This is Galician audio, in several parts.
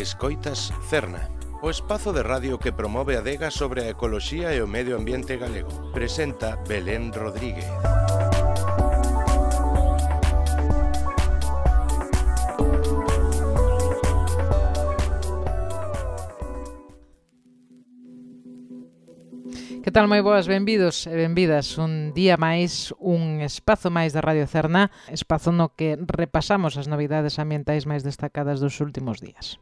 Escoitas Cerna, o espazo de radio que promove a adega sobre a ecoloxía e o medio ambiente galego. Presenta Belén Rodríguez. Que tal, moi boas, benvidos e benvidas un día máis, un espazo máis da Radio Cerna, espazo no que repasamos as novidades ambientais máis destacadas dos últimos días.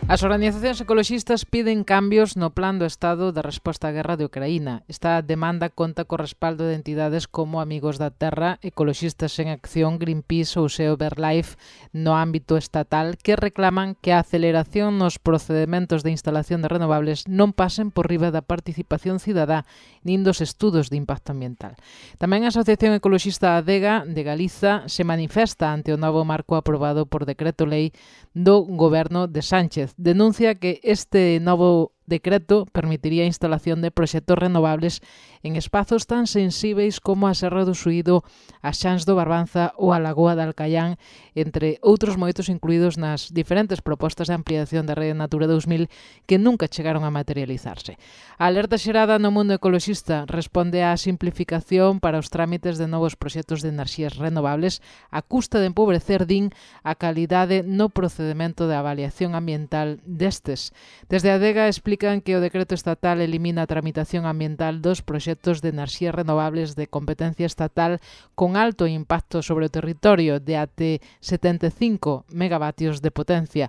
As organizacións ecoloxistas piden cambios no plan do Estado da resposta á guerra de Ucraína. Esta demanda conta co respaldo de entidades como Amigos da Terra, Ecoloxistas en Acción, Greenpeace ou Seo Verlife no ámbito estatal, que reclaman que a aceleración nos procedementos de instalación de renovables non pasen por riba da participación cidadá nin dos estudos de impacto ambiental. Tamén a Asociación Ecoloxista Adega de Galiza se manifesta ante o novo marco aprobado por decreto-lei do Goberno de Sánchez. Denuncia que este novo decreto permitiría a instalación de proxectos renovables en espazos tan sensíveis como a Serra do Suído, a Xans do Barbanza ou a Lagoa de Alcaián, entre outros moitos incluídos nas diferentes propostas de ampliación da Rede Natura 2000 que nunca chegaron a materializarse. A alerta xerada no mundo ecoloxista responde á simplificación para os trámites de novos proxectos de enerxías renovables a custa de empobrecer, din, a calidade no procedemento de avaliación ambiental destes. Desde a Adega explican que o decreto estatal elimina a tramitación ambiental dos proxectos de enerxías renovables de competencia estatal con alto impacto sobre o territorio de até 75 megavatios de potencia.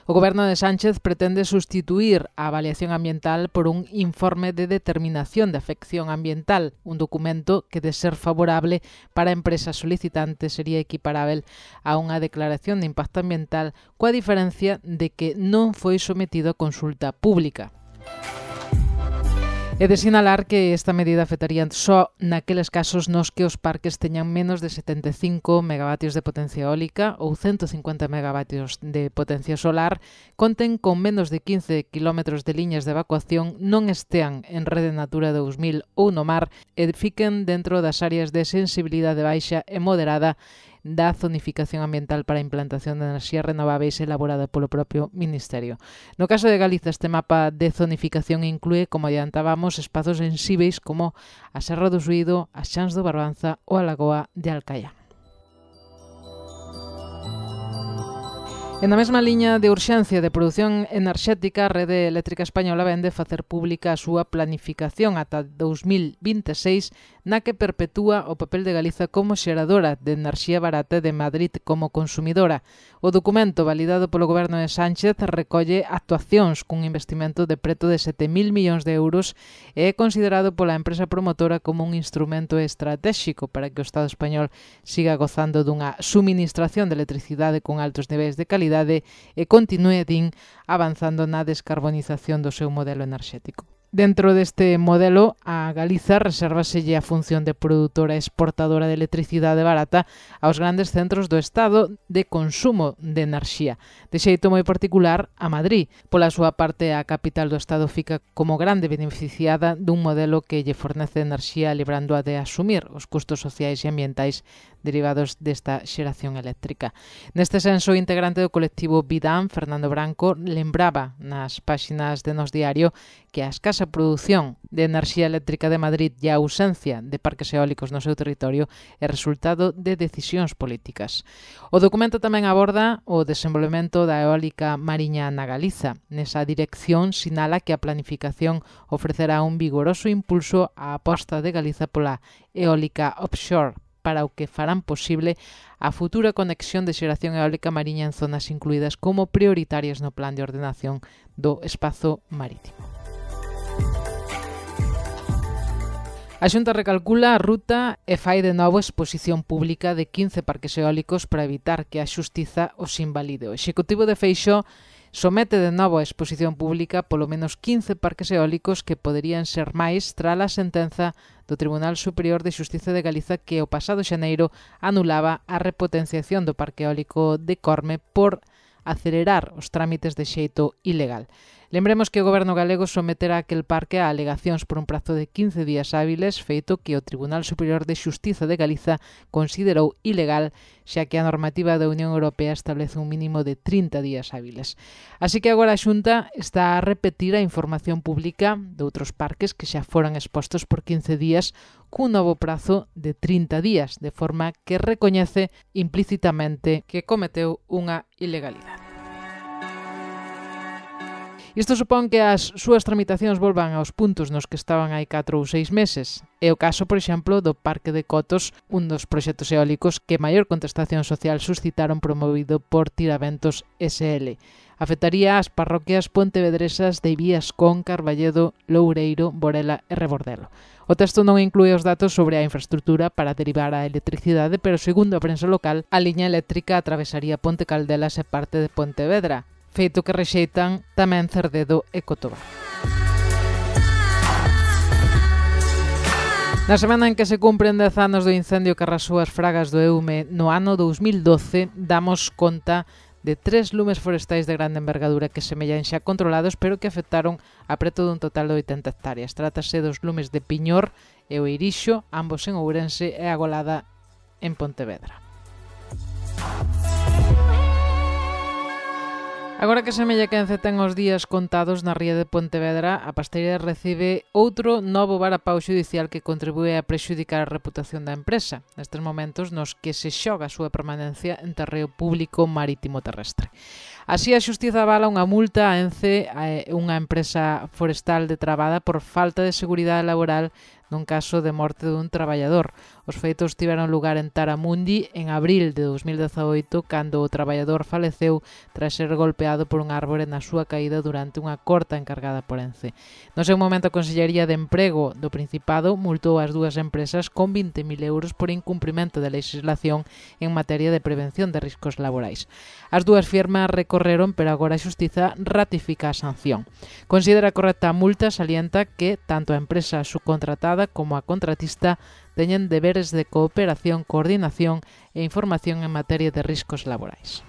O Goberno de Sánchez pretende sustituir a avaliación ambiental por un informe de determinación de afección ambiental, un documento que, de ser favorable para empresas solicitantes, sería equiparável a unha declaración de impacto ambiental, coa diferencia de que non foi sometido a consulta pública. É de sinalar que esta medida afectaría só naqueles casos nos que os parques teñan menos de 75 megavatios de potencia eólica ou 150 megavatios de potencia solar, conten con menos de 15 kilómetros de liñas de evacuación, non estean en Rede Natura 2000 ou no mar e fiquen dentro das áreas de sensibilidade baixa e moderada da zonificación ambiental para a implantación de enerxías renováveis elaborada polo propio Ministerio. No caso de Galiza, este mapa de zonificación inclúe, como adiantábamos, espazos sensíveis como a Serra do Suído, a Xans do Barbanza ou a Lagoa de Alcaián. En a mesma liña de urxencia de produción enerxética, a Rede Eléctrica Española vende facer pública a súa planificación ata 2026, na que perpetúa o papel de Galiza como xeradora de enerxía barata e de Madrid como consumidora. O documento, validado polo Goberno de Sánchez, recolle actuacións cun investimento de preto de 7.000 millóns de euros e é considerado pola empresa promotora como un instrumento estratéxico para que o Estado español siga gozando dunha suministración de electricidade con altos niveis de calidade e continúe, din, avanzando na descarbonización do seu modelo enerxético. Dentro deste modelo, a Galiza resérvaselle a función de produtora exportadora de electricidade barata aos grandes centros do Estado de consumo de enerxía. De xeito moi particular, a Madrid. Pola súa parte, a capital do Estado fica como grande beneficiada dun modelo que lle fornece enerxía librando a de asumir os custos sociais e ambientais derivados desta xeración eléctrica. Neste senso, o integrante do colectivo Vidam, Fernando Branco, lembraba nas páxinas de Nos Diario que a escasa produción de enerxía eléctrica de Madrid e a ausencia de parques eólicos no seu territorio é resultado de decisións políticas. O documento tamén aborda o desenvolvemento da eólica mariña na Galiza. Nesa dirección sinala que a planificación ofrecerá un vigoroso impulso á aposta de Galiza pola eólica offshore, para o que farán posible a futura conexión de xeración eólica mariña en zonas incluídas como prioritarias no plan de ordenación do espazo marítimo. A Xunta recalcula a ruta e fai de novo exposición pública de 15 parques eólicos para evitar que a Xustiza os invalide. O Executivo de Feixóo somete de novo a exposición pública polo menos 15 parques eólicos que poderían ser máis tras a sentenza do Tribunal Superior de Xustiza de Galiza que o pasado xaneiro anulaba a repotenciación do parque eólico de Corme por acelerar os trámites de xeito ilegal. Lembremos que o Goberno galego someterá aquel parque a alegacións por un prazo de 15 días hábiles, feito que o Tribunal Superior de Xustiza de Galiza considerou ilegal, xa que a normativa da Unión Europea establece un mínimo de 30 días hábiles. Así que agora a Xunta está a repetir a información pública de outros parques que xa foran expostos por 15 días cun novo prazo de 30 días, de forma que recoñece implícitamente que cometeu unha ilegalidade. Isto supón que as súas tramitacións volvan aos puntos nos que estaban hai 4 ou 6 meses. É o caso, por exemplo, do Parque de Cotos, un dos proxectos eólicos que maior contestación social suscitaron promovido por Tiraventos SL. Afectaría as parroquias pontevedresas de Viascón, Carballedo, Loureiro, Borela e Rebordelo. O texto non inclúe os datos sobre a infraestructura para derivar a electricidade, pero segundo a prensa local, a liña eléctrica atravesaría Ponte Caldelas e parte de Pontevedra, feito que rexeitan tamén Cerdedo e Cotobá. Na semana en que se cumpren 10 anos do incendio que arrasou as fragas do Eume no ano 2012, damos conta de 3 lumes forestais de grande envergadura que semellan xa controlados, pero que afectaron a preto dun total de 80 hectáreas. Trátase dos lumes de Piñor e o Eirixo, ambos en Ourense, e a Golada en Pontevedra. Agora que semella que Ence ten os días contados na ría de Pontevedra, a Pasteira recibe outro novo varapau xudicial que contribúe a prexudicar a reputación da empresa, nestes momentos nos que se xoga a súa permanencia en terreo público marítimo terrestre. Así, a Xustiza avala unha multa a Ence, unha empresa forestal detrabada por falta de seguridade laboral nun caso de morte dun traballador. Os feitos tiveron lugar en Taramundi en abril de 2018, cando o traballador faleceu tras ser golpeado por un árbore na súa caída durante unha corta encargada por Ence. No seu momento, a Consellería de Emprego do Principado multou as dúas empresas con 20.000 euros por incumprimento de legislación en materia de prevención de riscos laborais. As dúas firmas recorreron, pero agora a Xustiza ratifica a sanción. Considera correcta a multa, salienta que tanto a empresa subcontratada como a contratista teñen deberes de cooperación, coordinación e información en materia de riscos laborais.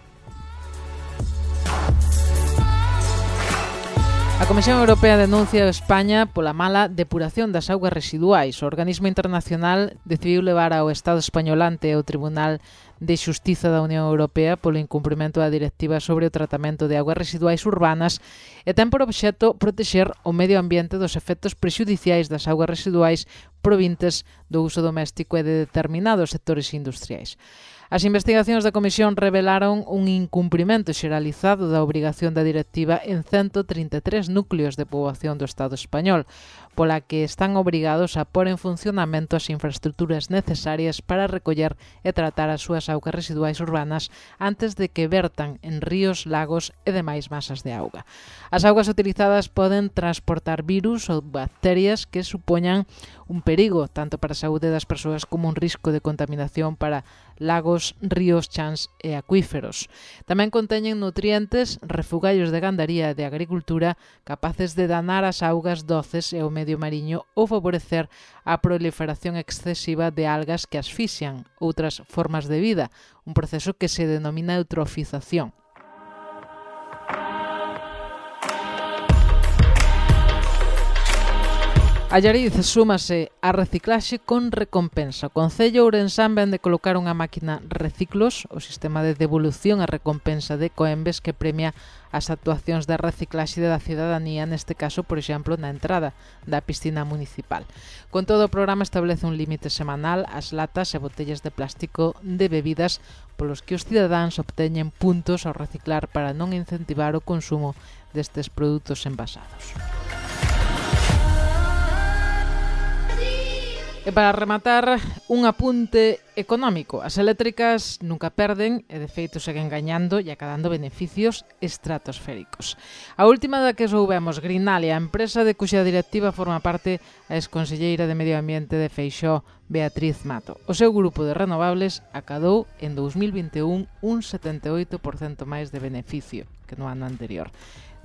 A Comisión Europea denuncia a España pola mala depuración das augas residuais. O organismo internacional decidiu levar ao Estado español ante o Tribunal de Xustiza da Unión Europea polo incumprimento da Directiva sobre o tratamento de augas residuais urbanas e ten por obxecto protexer o medio ambiente dos efectos prexudiciais das augas residuais provintes do uso doméstico e de determinados sectores industriais. As investigacións da Comisión revelaron un incumprimento xeralizado da obrigación da directiva en 133 núcleos de poboación do Estado español, pola que están obrigados a pôr en funcionamento as infraestructuras necesarias para recoller e tratar as súas augas residuais urbanas antes de que vertan en ríos, lagos e demais masas de auga. As augas utilizadas poden transportar virus ou bacterias que supoñan un perigo tanto para a saúde das persoas como un risco de contaminación para lagos, ríos, chans e acuíferos. Tamén conteñen nutrientes, refugallos de gandaría e de agricultura capaces de danar as augas doces e o medio mariño ou favorecer a proliferación excesiva de algas que asfixian outras formas de vida, un proceso que se denomina eutrofización. Allariz súmase a reciclaxe con recompensa. O Concello ourensán vén de colocar unha máquina Reciclos, o sistema de devolución e recompensa de Coembes que premia as actuacións de reciclaxe da cidadanía, neste caso, por exemplo, na entrada da piscina municipal. Con todo, o programa establece un límite semanal ás latas e botellas de plástico de bebidas polos que os cidadáns obteñen puntos ao reciclar para non incentivar o consumo destes produtos envasados. E para rematar, un apunte económico. As eléctricas nunca perden e de feito seguen gañando e acadando beneficios estratosféricos. A última da que soubemos, Grinalia, a empresa de cuxa directiva forma parte a exconselleira de Medio Ambiente de Feixóo, Beatriz Mato. O seu grupo de renovables acadou en 2021 un 78% máis de beneficio que no ano anterior.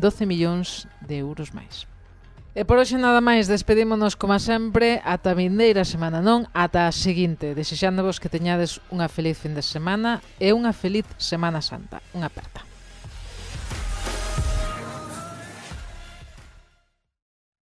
12 millóns de euros máis. E por hoxe nada máis, despedímonos como sempre ata a vindeira semana, non ata a seguinte, desexándovos que teñades unha feliz fin de semana e unha feliz Semana Santa. Unha aperta.